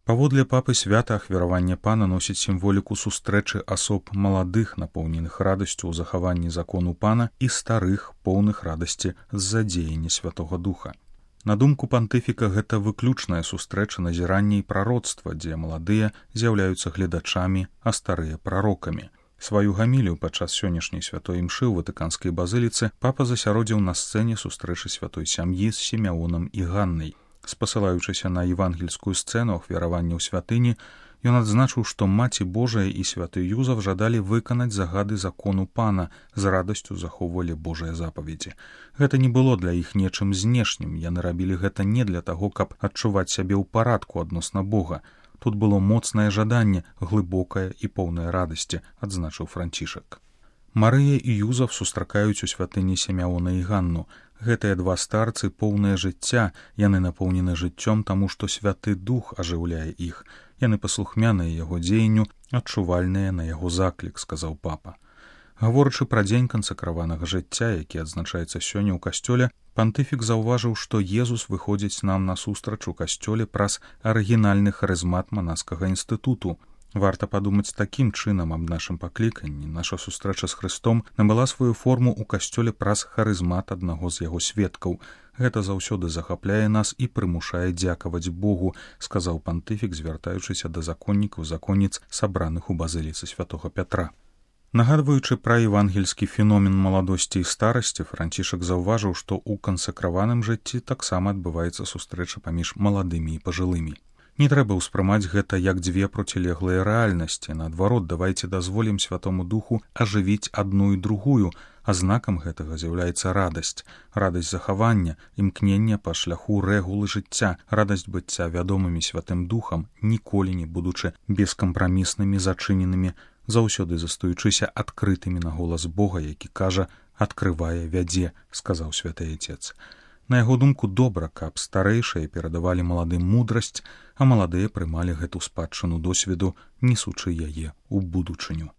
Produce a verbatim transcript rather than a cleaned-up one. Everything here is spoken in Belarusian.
Паводле папы свята ахвяраванне пана носіць сімволіку сустрэчы асоб маладых, напоўненых радасцю ў захаванні закону пана, і старых, поўных радасці з-за дзеяння Святога Духа. На думку пантыфіка, гэта выключная сустрэча назірання і прароцтва, дзе маладыя з'яўляюцца гледачамі, а старыя прарокамі. Сваю гамілію падчас сённяшняй святой імшы ў ватыканскай базыліцы папа засяродзіў на сцэне сустрэчы святой сям'і з Сімеонам і Ганнай. Спасылаючыся на евангельскую сцэну ахвяравання ў святыні, ён адзначыў, што Маці Божая і святы Юзаф жадалі выканаць загады закону пана, з радасцю захоўвалі Божыя запаведзі. Гэта не было для іх нечым знешнім, яны рабілі гэта не для таго, каб адчуваць сябе ў парадку адносна Бога. Тут было моцнае жаданне, глыбокае і поўнае радасці, адзначыў Францішак. Марыя і Юзаф сустракаюць у святыні Сімеона і Ганну. Гэтыя два старцы поўнае жыцця, яны напоўнены жыццём, таму што Святы Дух ажыўляе іх. Яны паслухмяныя яго дзеянню, адчувальныя на яго заклік, сказаў папа. Гаворачы пра дзень кансакраванага жыцця, які адзначаецца сёння ў касцёле, пантыфік заўважыў, што Езус выходзіць нам насустрач у касцёле праз арыгінальны харызмат манаскага інстытуту. Варта падумаць такім чынам аб нашым пакліканні. Наша сустрэча з Хрыстом набыла сваю форму ў касцёле праз харызмат аднаго з яго сведкаў. Гэта заўсёды захапляе нас і прымушае дзякаваць Богу, сказаў пантыфік, звяртаючыся да законнікаў законніц, сабраных у базыліцы святога Пятра. Нагадваючы пра евангельскі феномен маладосці і старасці, Францішак заўважыў, што ў кансакраваным жыцці таксама адбываецца сустрэча паміж маладымі і пажылымі. Не трэба ўспрымаць гэта як дзве процілеглыя рэальнасці. Наадварот, давайце дазволім Святому Духу ажывіць адну і другую, а знакам гэтага з'яўляецца радасць. Радасць захавання, імкнення па шляху рэгулы жыцця, радасць быцця вядомымі Святым Духам, ніколі не будучы бескампраміснымі, зачыненымі, заўсёды застаючыся адкрытымі на голас Бога, які кажа «адкрывае, вядзе», сказаў святы Отец. На яго думку, добра, каб старэйшыя перадавалі маладым мудрасць, а маладыя прымалі гэту спадчыну досведу, несучы яе ў будучыню.